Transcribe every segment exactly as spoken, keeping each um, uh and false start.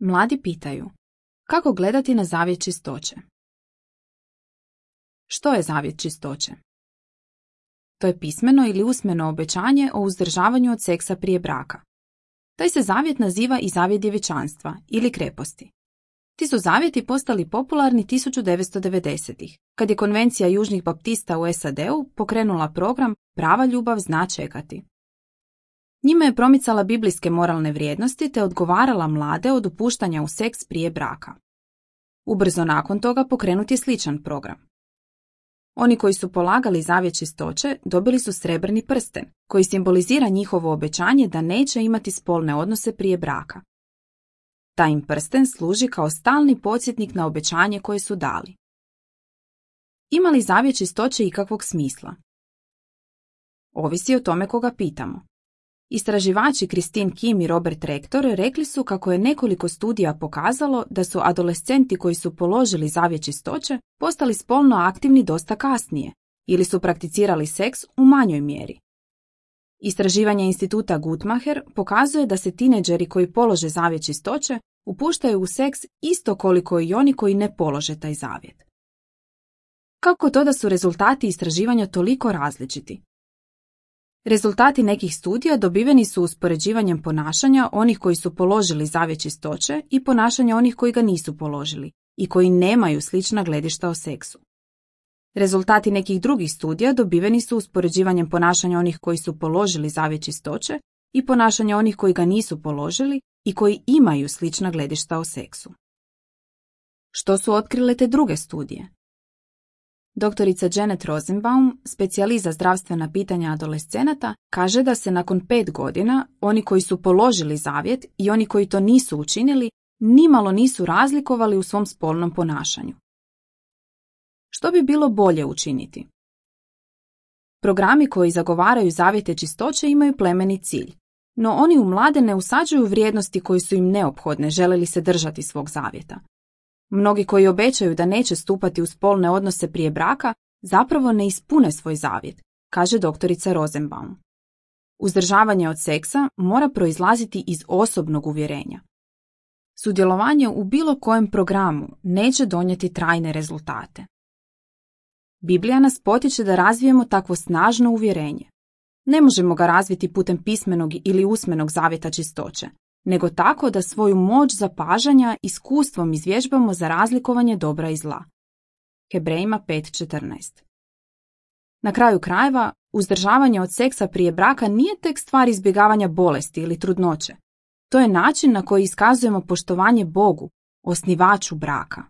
Mladi pitaju, kako gledati na zavjet čistoće? Što je zavjet čistoće? To je pismeno ili usmeno obećanje o uzdržavanju od seksa prije braka. Taj se zavjet naziva i zavjet djevičanstva ili kreposti. Ti su zavjeti postali popularni tisuću devetsto devedesetih, kad je Konvencija južnih baptista u S A D-u pokrenula program Prava ljubav zna čekati. Njime je promicala biblijske moralne vrijednosti te odgovarala mlade od upuštanja u seks prije braka. Ubrzo nakon toga pokrenut je sličan program. Oni koji su polagali zavjet čistoće dobili su srebrni prsten, koji simbolizira njihovo obećanje da neće imati spolne odnose prije braka. Taj im prsten služi kao stalni podsjetnik na obećanje koje su dali. Ima li zavjet čistoće ikakvog smisla? Ovisi o tome koga pitamo. Istraživači Christine Kim i Robert Rector rekli su kako je nekoliko studija pokazalo da su adolescenti koji su položili zavjet čistoće postali spolno aktivni dosta kasnije ili su prakticirali seks u manjoj mjeri. Istraživanje instituta Guttmacher pokazuje da se tineđeri koji polože zavjet čistoće upuštaju u seks isto koliko i oni koji ne polože taj zavjet. Kako to da su rezultati istraživanja toliko različiti? Rezultati nekih studija dobiveni su uspoređivanjem ponašanja onih koji su položili zavjet čistoće i ponašanja onih koji ga nisu položili i koji nemaju slična gledišta o seksu. Rezultati nekih drugih studija dobiveni su uspoređivanjem ponašanja onih koji su položili zavjet čistoće i ponašanja onih koji ga nisu položili i koji imaju slična gledišta o seksu. Što su otkrile te druge studije? Doktorica Janet Rosenbaum, specijalist za zdravstvena pitanja adolescenata, kaže da se nakon pet godina oni koji su položili zavjet i oni koji to nisu učinili nimalo nisu razlikovali u svom spolnom ponašanju. Što bi bilo bolje učiniti? Programi koji zagovaraju zavjete čistoće imaju plemeni cilj, no oni u mlade ne usađuju vrijednosti koje su im neophodne žele li se držati svog zavjeta. Mnogi koji obećaju da neće stupati u spolne odnose prije braka zapravo ne ispune svoj zavjet, kaže doktorica Rosenbaum. Uzdržavanje od seksa mora proizlaziti iz osobnog uvjerenja. Sudjelovanje u bilo kojem programu neće donijeti trajne rezultate. Biblija nas potiče da razvijemo takvo snažno uvjerenje. Ne možemo ga razviti putem pismenog ili usmenog zavjeta čistoće, nego tako da svoju moć zapažanja iskustvom izvježbamo za razlikovanje dobra i zla. Hebrejima pet četrnaest. Na kraju krajeva, uzdržavanje od seksa prije braka nije tek stvar izbjegavanja bolesti ili trudnoće. To je način na koji iskazujemo poštovanje Bogu, osnivaču braka.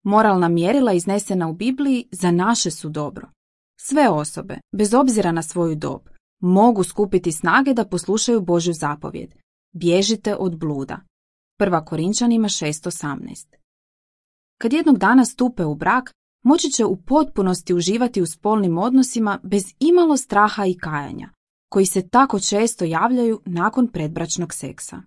Moralna mjerila iznesena u Bibliji za naše su dobro. Sve osobe, bez obzira na svoju dob, mogu skupiti snage da poslušaju Božju zapovjed. Bježite od bluda. Prva Korinčanima šest osamnaest. Kad jednog dana stupe u brak, moći će u potpunosti uživati u spolnim odnosima bez imalo straha i kajanja, koji se tako često javljaju nakon predbračnog seksa.